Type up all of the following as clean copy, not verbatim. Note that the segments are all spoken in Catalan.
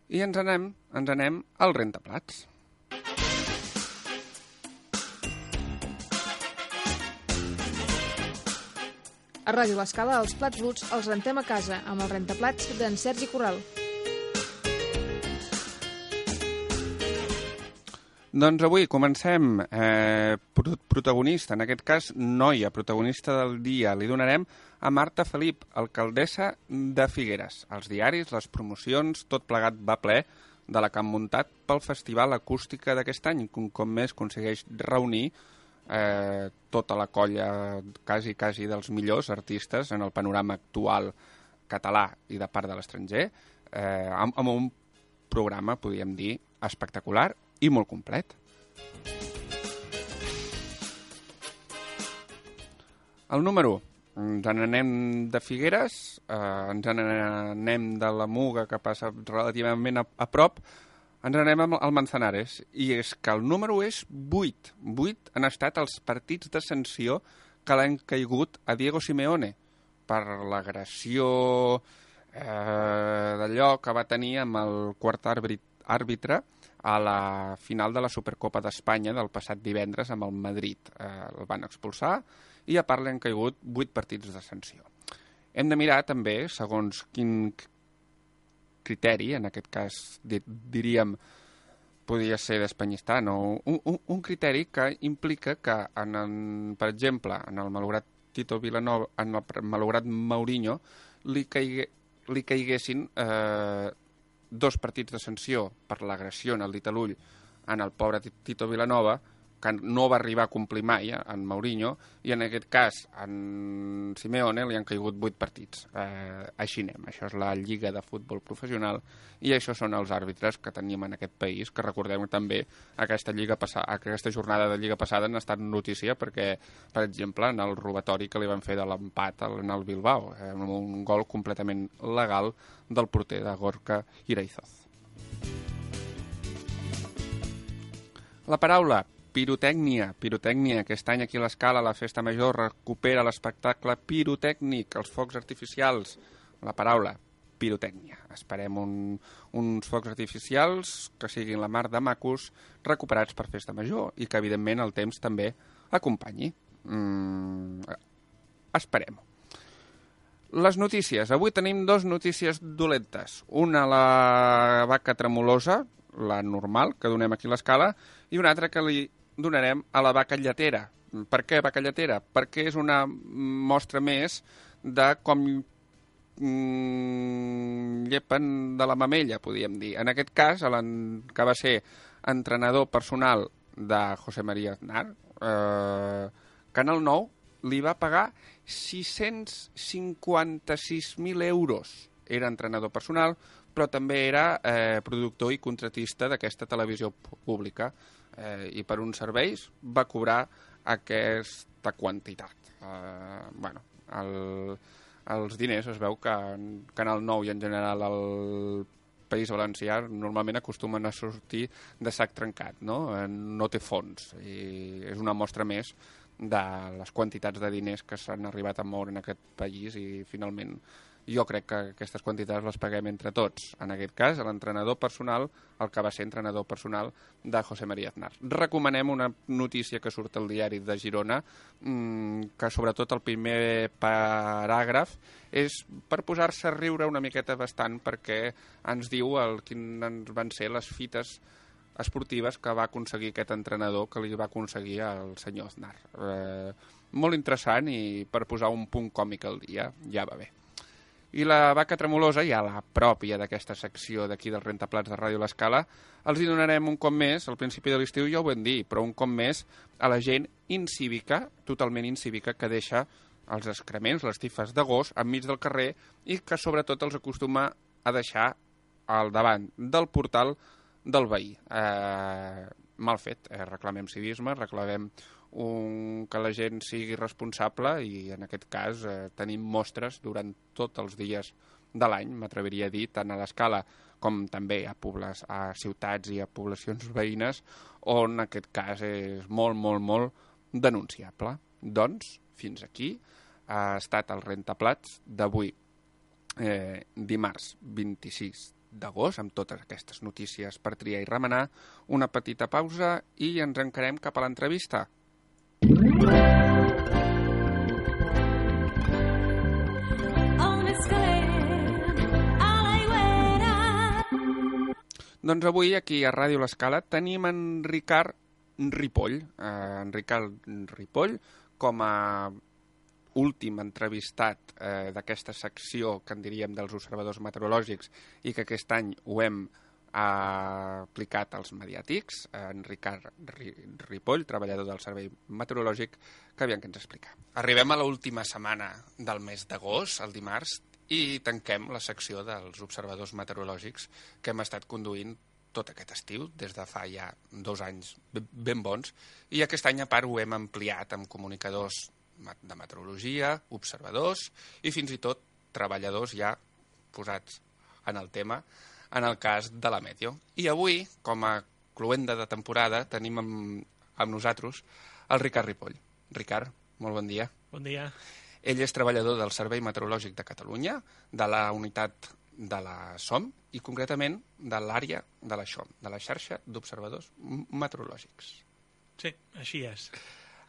I ens anem al rentaplats. A Ràdio L'Escala, els plats bruts els rentem a casa amb el rentaplats d'en Sergi Corral. Doncs avui comencem. Protagonista, en aquest cas noia, protagonista del dia, li donarem a Marta Felip, alcaldessa de Figueres. Els diaris, les promocions, tot plegat va ple de la que han muntat pel Festival Acústica d'aquest any, que un cop més aconsegueix reunir tota la colla quasi dels millors artistes en el panorama actual català i de part de l'estranger, amb un programa, podríem dir, espectacular i molt complet. El número 1. Ens n'anem de Figueres, ens n'anem de la Muga, que passa relativament a prop, ens n'anem al Manzanares, i és que el número és 8. 8 han estat els partits de sanció que l'han caigut a Diego Simeone per l'agressió d'allò que va tenir amb el quart àrbitre a la final de la Supercopa d'Espanya del passat divendres amb el Madrid. El van expulsar i a part l'han caigut 8 partits de sanció. Hem de mirar també, segons quin criteri, en aquest cas diríem podria ser d'Espanyistar, no? Un criteri que implica que, per exemple, en el malograt Tito Vilanova, en el malograt Mourinho, li caiguessin 2 partits de sanció per l'agressió en el dit a l'ull en el pobre Tito Vilanova, que no va arribar a complir mai en Mourinho, i en aquest cas en Simeone li han caigut 8 partits. Així anem, això és la Lliga de Futbol Professional i això són els àrbitres que tenim en aquest país, que recordem també aquesta jornada de Lliga passada han estat notícia perquè, per exemple, en el robatori que li van fer de l'empat en el Bilbao, amb un gol completament legal del porter de Gorka Iraizoz. La paraula pirotècnia. Pirotècnia. Aquest any aquí a l'Escala, la Festa Major, recupera l'espectacle pirotècnic, els focs artificials. La paraula, pirotècnia. Esperem uns focs artificials que siguin la mar de macos, recuperats per Festa Major i que, evidentment, el temps també acompanyi. Esperem-ho. Les notícies. Avui tenim 2 notícies dolentes. Una, la vaca tremolosa, la normal, que donem aquí a l'Escala, i una altra que li donarem a la vaca lletera. Per què vaca lletera? Perquè és una mostra més de com llepen de la mamella, podríem dir. En aquest cas, que va ser entrenador personal de José María Aznar, Canal 9 li va pagar 656.000 euros. Era entrenador personal, però també era productor i contratista d'aquesta televisió pública. I per uns serveis va cobrar aquesta quantitat. Els diners es veu que en Canal 9 i en general al País Valencià normalment acostumen a sortir de sac trencat, no? No té fons, i és una mostra més de les quantitats de diners que s'han arribat a moure en aquest país, i finalment jo crec que aquestes quantitats les paguem entre tots. En aquest cas, l'entrenador personal, el que va ser entrenador personal de José María Aznar. Recomanem una notícia que surt al diari de Girona, que sobretot el primer paràgraf és per posar-se a riure una miqueta bastant, perquè ens diu quines van ser les fites esportives que va aconseguir aquest entrenador, que li va aconseguir el senyor Aznar. Molt interessant, i per posar un punt còmic al dia ja va bé. I la vaca tremolosa, ja la pròpia d'aquesta secció d'aquí dels rentaplats de Ràdio L'Escala, els hi donarem un cop més, al principi de l'estiu ja ho vam dir, però un cop més a la gent incívica, totalment incívica, que deixa els excrements, les tifes de gos, enmig del carrer, i que sobretot els acostuma a deixar al davant del portal del veí. Mal fet, reclamem civisme, reclamem que la gent sigui responsable, i en aquest cas tenim mostres durant tots els dies de l'any, m'atreviria a dir, tant a l'Escala com també a ciutats i a poblacions veïnes, on en aquest cas és molt, molt, molt denunciable. Doncs, fins aquí ha estat el rentaplats d'avui, dimarts 26 d'agost, amb totes aquestes notícies per triar i remenar, una petita pausa i ens encarem cap a l'entrevista. Doncs avui aquí a Ràdio L'Escala tenim en Ricard Ripoll. En Ricard Ripoll com a últim entrevistat d'aquesta secció que en diríem dels observadors meteorològics i que aquest any ho hem aplicat als mediàtics. En Ricard Ripoll, treballador del Servei Meteorològic, que aviam què ens explica. Arribem a l'última setmana del mes d'agost, el dimarts, i tanquem la secció dels observadors meteorològics que hem estat conduint tot aquest estiu, des de fa ja 2 anys ben bons, i aquest any a part ho hem ampliat amb comunicadors de meteorologia, observadors i fins i tot treballadors ja posats en el tema, en el cas de la Meteo. I avui, com a cloenda de temporada, tenim amb nosaltres el Ricard Ripoll. Ricard, molt bon dia. Bon dia. Ell és treballador del Servei Meteorològic de Catalunya, de la unitat de la SOM i concretament de l'àrea de la XOM, de la xarxa d'observadors meteorològics. Sí, així és.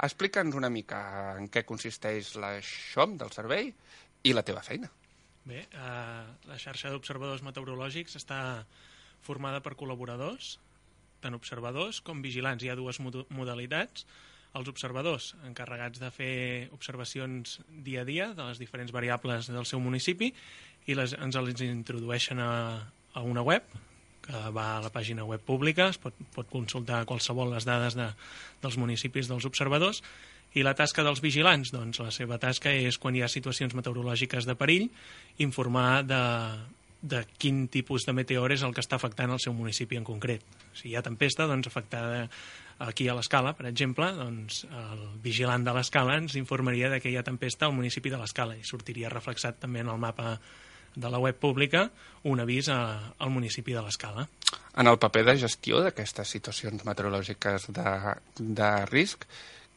Explica'ns una mica en què consisteix la XOM del servei i la teva feina. Bé, la xarxa d'observadors meteorològics està formada per col·laboradors, tant observadors com vigilants. Hi ha 2 modalitats. Els observadors encarregats de fer observacions dia a dia de les diferents variables del seu municipi i ens les introdueixen a una web que va a la pàgina web pública, es pot consultar qualsevol les dades dels municipis dels observadors. I la tasca dels vigilants, doncs la seva tasca és, quan hi ha situacions meteorològiques de perill, informar de quin tipus de meteor és el que està afectant el seu municipi en concret. Si hi ha tempesta, doncs afectada aquí a l'Escala, per exemple, doncs el vigilant de l'Escala ens informaria de que hi ha tempesta al municipi de l'Escala i sortiria reflexat també en el mapa de la web pública un avís al municipi de l'Escala. En el paper de gestió d'aquestes situacions meteorològiques de risc,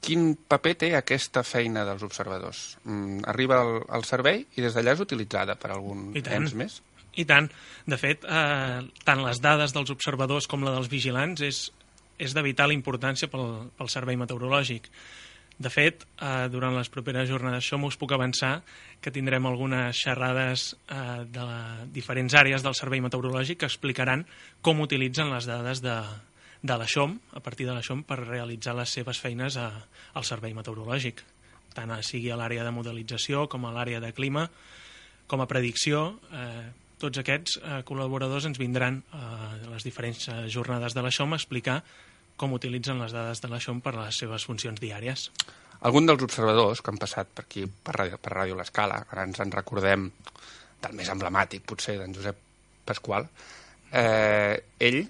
quin paper té aquesta feina dels observadors? Arriba al servei i des d'allà és utilitzada per algun ens més? I tant. De fet, tant les dades dels observadors com la dels vigilants és de vital importància pel servei meteorològic. De fet, durant les properes jornades XOM us puc avançar que tindrem algunes xerrades de diferents àrees del servei meteorològic que explicaran com utilitzen les dades de la XOM, a partir de la XOM, per realitzar les seves feines al servei meteorològic, tant sigui a l'àrea de modelització com a l'àrea de clima, com a predicció. Tots aquests col·laboradors ens vindran a les diferents jornades de la XOM a explicar com utilitzen les dades de la XOM per les seves funcions diàries. Algun dels observadors que han passat per aquí, per Ràdio L'Escala, ara ens en recordem del més emblemàtic, potser, d'en Josep Pasqual, ell,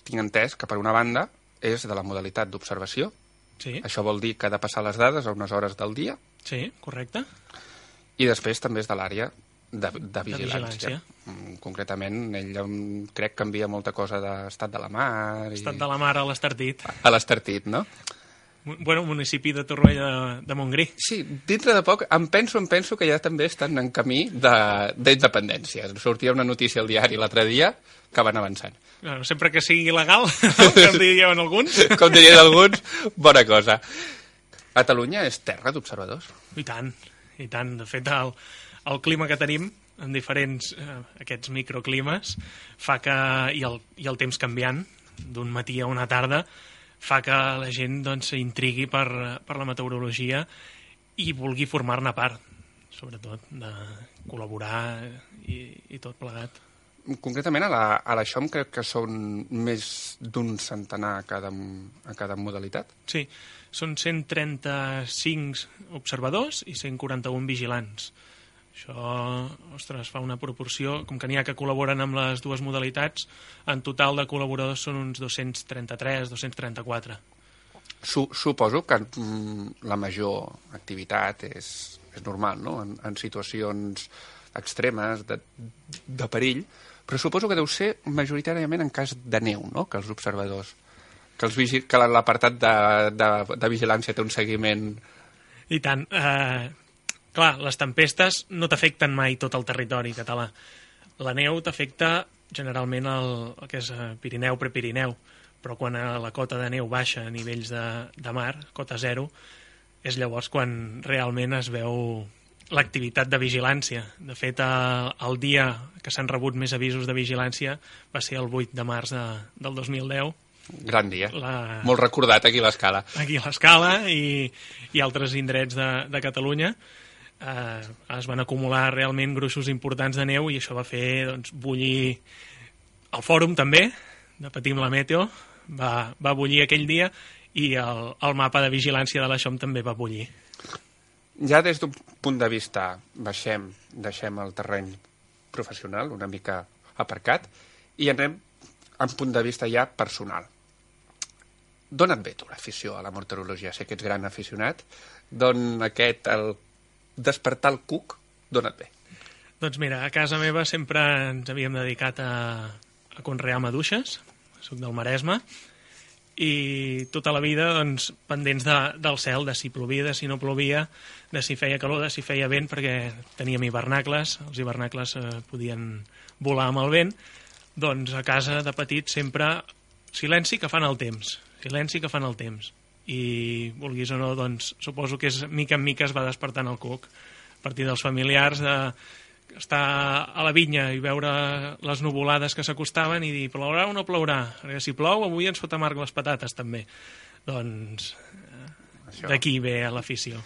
tinc entès que per una banda és de la modalitat d'observació. Sí. Això vol dir que ha de passar les dades a unes hores del dia. Sí, correcte. I després també és de l'àrea de vigilància. Concretament, ell crec que envia molta cosa d'estat de la mar. Estat de la mar a l'Estartit. A l'Estartit, no? Bueno, municipi de Torroella de Montgrí. Sí, dintre de poc em penso que ja també estan en camí d'independència. Sortia una notícia al diari l'altre dia que van avançant. Bueno, sempre que sigui legal, no? Com dirien alguns. Com dirien alguns, bona cosa. Catalunya és terra d'observadors. I tant, i tant. De fet, el clima que tenim en diferents aquests microclimes fa que, i el temps canviant d'un matí a una tarda, fa que la gent doncs s'intrigui per la meteorologia i vulgui formar-ne part, sobretot, de col·laborar i tot plegat. Concretament a la XOM crec que són més d'un centenar a cada modalitat. Sí, són 135 observadors i 141 vigilants. Això, ostres, fa una proporció, com que n'hi ha que col·laboren amb les 2 modalitats, en total de col·laboradors són uns 233, 234. Suposo que la major activitat és normal, no? En situacions extremes, de perill, però suposo que deu ser majoritàriament en cas de neu, no?, que els observadors, que l'apartat de vigilància té un seguiment. I tant. Clar, les tempestes no t'afecten mai tot el territori català. La neu t'afecta generalment el que és Pirineu, Prepirineu, però quan la cota de neu baixa a nivells de mar, cota zero, és llavors quan realment es veu l'activitat de vigilància. De fet, el dia que s'han rebut més avisos de vigilància va ser el 8 de març del 2010. Gran dia, molt recordat aquí a l'Escala. Aquí a l'Escala i altres indrets de Catalunya. Es van acumular realment gruixos importants de neu i això va fer bullir el fòrum també, de Patim la Meteo, va bullir aquell dia i el mapa de vigilància de la XOM també va bullir. Ja des d'un punt de vista, deixem el terreny professional una mica aparcat i anem a un punt de vista ja personal. D'on et ve tu l'afició a la meteorologia? Sé que ets gran aficionat. D'on el despertar el cuc, d'on et ve? Doncs mira, a casa meva sempre ens havíem dedicat a conrear maduixes, soc del Maresme, i tota la vida pendents del cel, de si plovia, de si no plovia, de si feia calor, de si feia vent, perquè teníem hivernacles, els hivernacles podien volar amb el vent. Doncs a casa de petit sempre silenci que fan el temps, i vulguis o no, doncs suposo que mica en mica es va despertant el cuc a partir dels familiars, estar a la vinya i veure les nuvolades que s'acostaven i dir plourà o no plourà, perquè si plou avui ens fot amarg les patates també. Doncs d'aquí ve l'afició.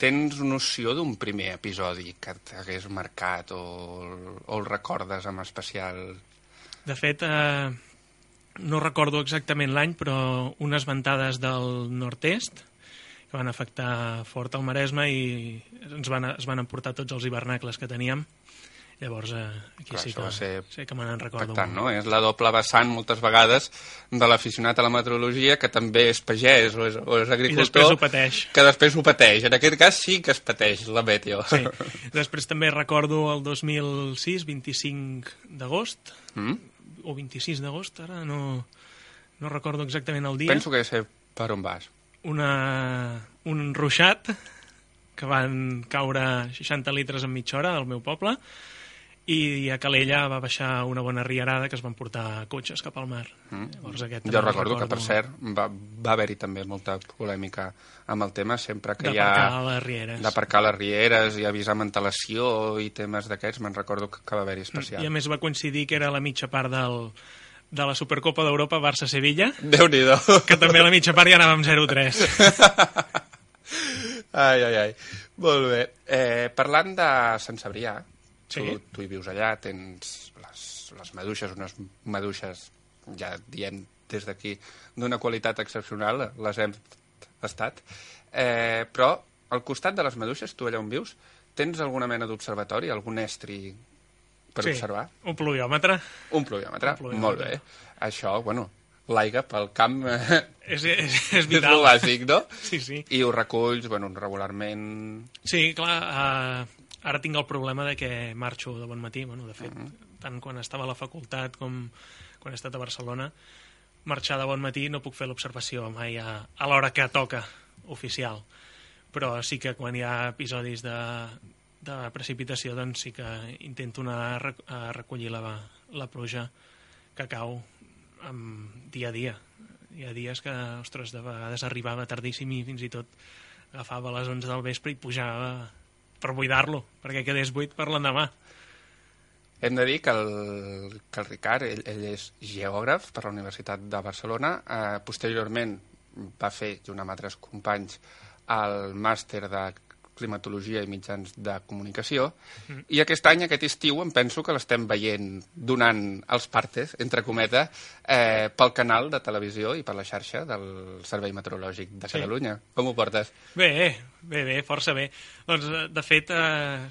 Tens noció d'un primer episodi que t'hagués marcat o el recordes amb especial? De fet, no recordo exactament l'any, però unes ventades del nord-est que van afectar fort el Maresme i es van emportar tots els hivernacles que teníem. Llavors, aquí sí que me n'en recordo. No? És la doble vessant, moltes vegades, de l'aficionat a la meteorologia, que també és pagès o és agricultor. I després ho pateix. Que després ho pateix. En aquest cas sí que es pateix, la meteo. Sí. Després també recordo el 2006, 25 d'agost, o 26 d'agost, ara no recordo exactament el dia. Penso que sé per on vas. Un ruixat que van caure 60 litres en mitja hora al meu poble i a Calella va baixar una bona rierada que es van portar cotxes cap al mar. Llavors, jo recordo que, per cert, va haver-hi també molta polèmica amb el tema, sempre que hi ha d'aparcar les rieres i avisar amb antelació i temes d'aquests, me'n recordo que va haver-hi especial. I a més va coincidir que era la mitja part de la Supercopa d'Europa Barça-Sevilla. Déu-n'hi-do. Que també a la mitja part ja anàvem 0-3. Ai. Molt bé. Parlant de Sant Cebrià, sí. Tu hi vius allà, tens les maduixes, unes maduixes, ja diem des d'aquí, d'una qualitat excepcional, les hem tastat, però al costat de les maduixes, tu allà on vius, tens alguna mena d'observatori, algun estri per observar? Un pluviòmetre. Un pluviòmetre, molt bé. Això, l'aigua pel camp és és vital. el bàsic, no? Sí. I ho reculls, regularment... Sí, clar, ara tinc el problema de que marxo de bon matí, de fet, tant quan estava a la facultat com quan he estat a Barcelona, marxar de bon matí no puc fer l'observació mai a l'hora que toca oficial, però sí que quan hi ha episodis de precipitació doncs sí que intento anar a recollir la pluja que cau dia a dia. Hi ha dies que, ostres, de vegades arribava tardíssim i fins i tot agafava a les 11 del vespre i pujava per buidar-lo, perquè quedés buit per l'endemà. Hem de dir que el Ricard, ell és geògraf per la Universitat de Barcelona, posteriorment va fer, junt amb altres companys, el màster de climatologia i mitjans de comunicació, i aquest any, aquest estiu, em penso que l'estem veient donant els partes, entre cometes, pel canal de televisió i per la xarxa del Servei Meteorològic de Catalunya. Com ho portes? Bé, força bé. Doncs, de fet,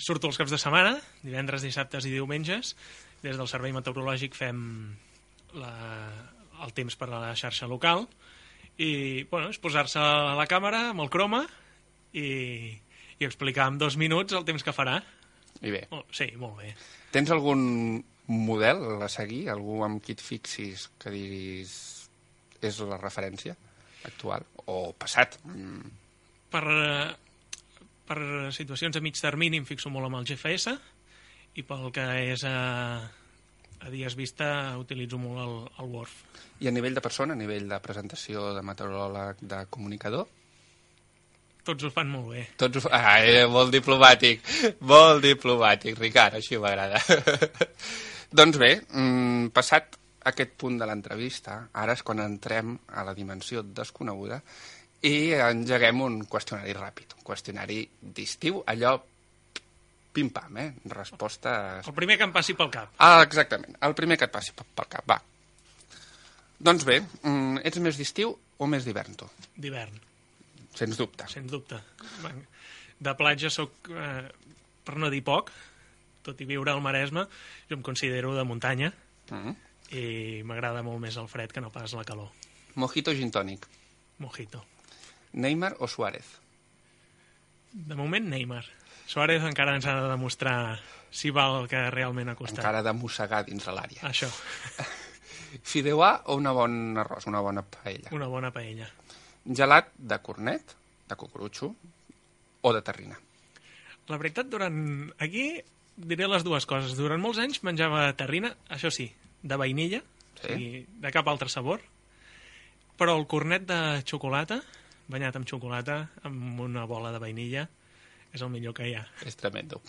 surto els caps de setmana, divendres, dissabtes i diumenges. Des del Servei Meteorològic fem el temps per a la xarxa local i, és posar-se a la càmera amb el croma i explicar en 2 minuts el temps que farà. I bé. Sí, molt bé. Tens algun model a seguir? Algú amb qui et fixis que diguis és la referència actual o passat? Per situacions a mig termini em fixo molt amb el GFS i pel que és a A dies vista utilitzo molt el Word. I a nivell de persona, a nivell de presentació, de meteoròleg, de comunicador? Tots ho fan molt bé. Tots ho molt diplomàtic, Ricard, així m'agrada. Doncs bé, passat aquest punt de l'entrevista, ara és quan entrem a la dimensió desconeguda i engeguem un qüestionari ràpid, un qüestionari d'estiu, allò pim-pam, respostes... El primer que em passi pel cap. Exactament, el primer que et passi pel cap, va. Doncs bé, ets més d'estiu o més d'hivern, tu? D'hivern. Sens dubte. Sens dubte. De platja sóc, per no dir poc, tot i viure al Maresme, jo em considero de muntanya i m'agrada molt més el fred que no pas la calor. Mojito o gin tònic? Mojito. Neymar o Suárez? De moment, Neymar. Suárez encara ens ha de demostrar si val el que realment ha costat. Encara de mossegar dins de l'àrea. Això. Fideuà o una bona arròs, una bona paella? Una bona paella. Gelat de cornet, de cucurutxo o de terrina? La veritat, aquí diré les dues coses. Durant molts anys menjava terrina, això sí, de vainilla, i de cap altre sabor, però el cornet de xocolata, banyat amb xocolata, amb una bola de vainilla, és el millor que hi ha. És tremendo.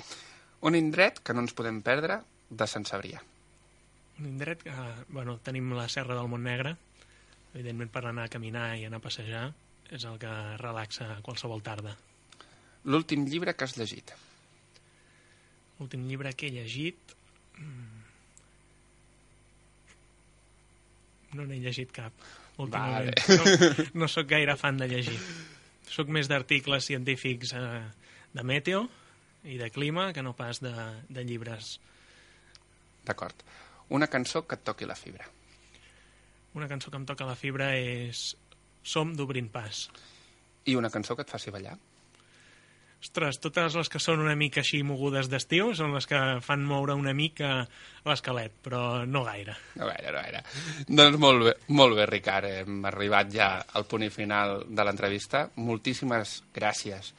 Un indret que no ens podem perdre de Sant Cebrià. Un indret que... tenim la Serra del Montnegre, evidentment per anar a caminar i anar a passejar, és el que relaxa qualsevol tarda. L'últim llibre que has llegit? L'últim llibre que he llegit... No n'he llegit cap, últimament. Vale. No sóc gaire fan de llegir. Sóc més d'articles científics de meteo i de clima que no pas de llibres. D'acord. Una cançó que et toqui la fibra. Una cançó que em toca la fibra és Som d'Obrint Pas. I una cançó que et faci ballar? Ostres, totes les que són una mica així mogudes d'estiu són les que fan moure una mica l'esquelet, però no gaire. No gaire. Doncs molt bé, Ricard. Hem arribat ja al punt final de l'entrevista. Moltíssimes gràcies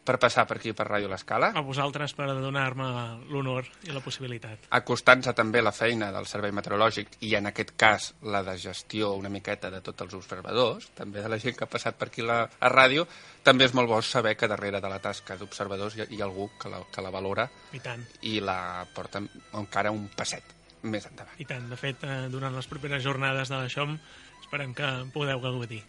per passar per aquí, per Ràdio L'Escala. A vosaltres per donar-me l'honor i la possibilitat. Acostant-se també la feina del Servei Meteorològic i, en aquest cas, la de gestió una miqueta de tots els observadors, també de la gent que ha passat per aquí a ràdio, també és molt bo saber que darrere de la tasca d'observadors hi ha algú que la valora I tant. I la porta encara un passet més endavant. I tant. De fet, durant les properes jornades de la XOM esperem que podeu gaudir.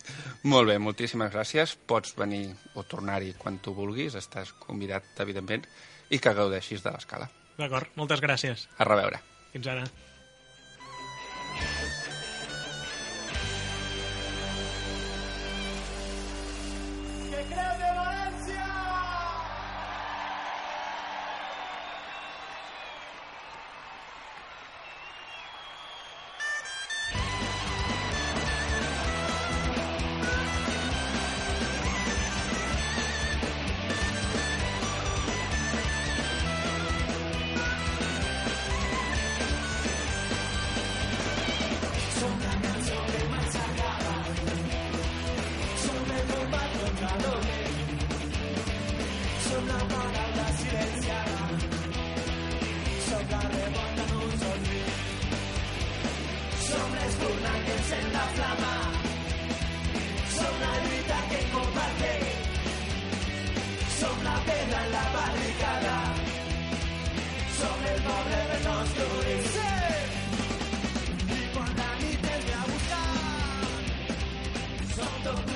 Molt bé, moltíssimes gràcies. Pots venir o tornar-hi quan tu vulguis. Estàs convidat, evidentment, i que gaudeixis de l'Escala. D'acord, moltes gràcies. A reveure. Fins ara. I quan la nit ve a buscar, som tot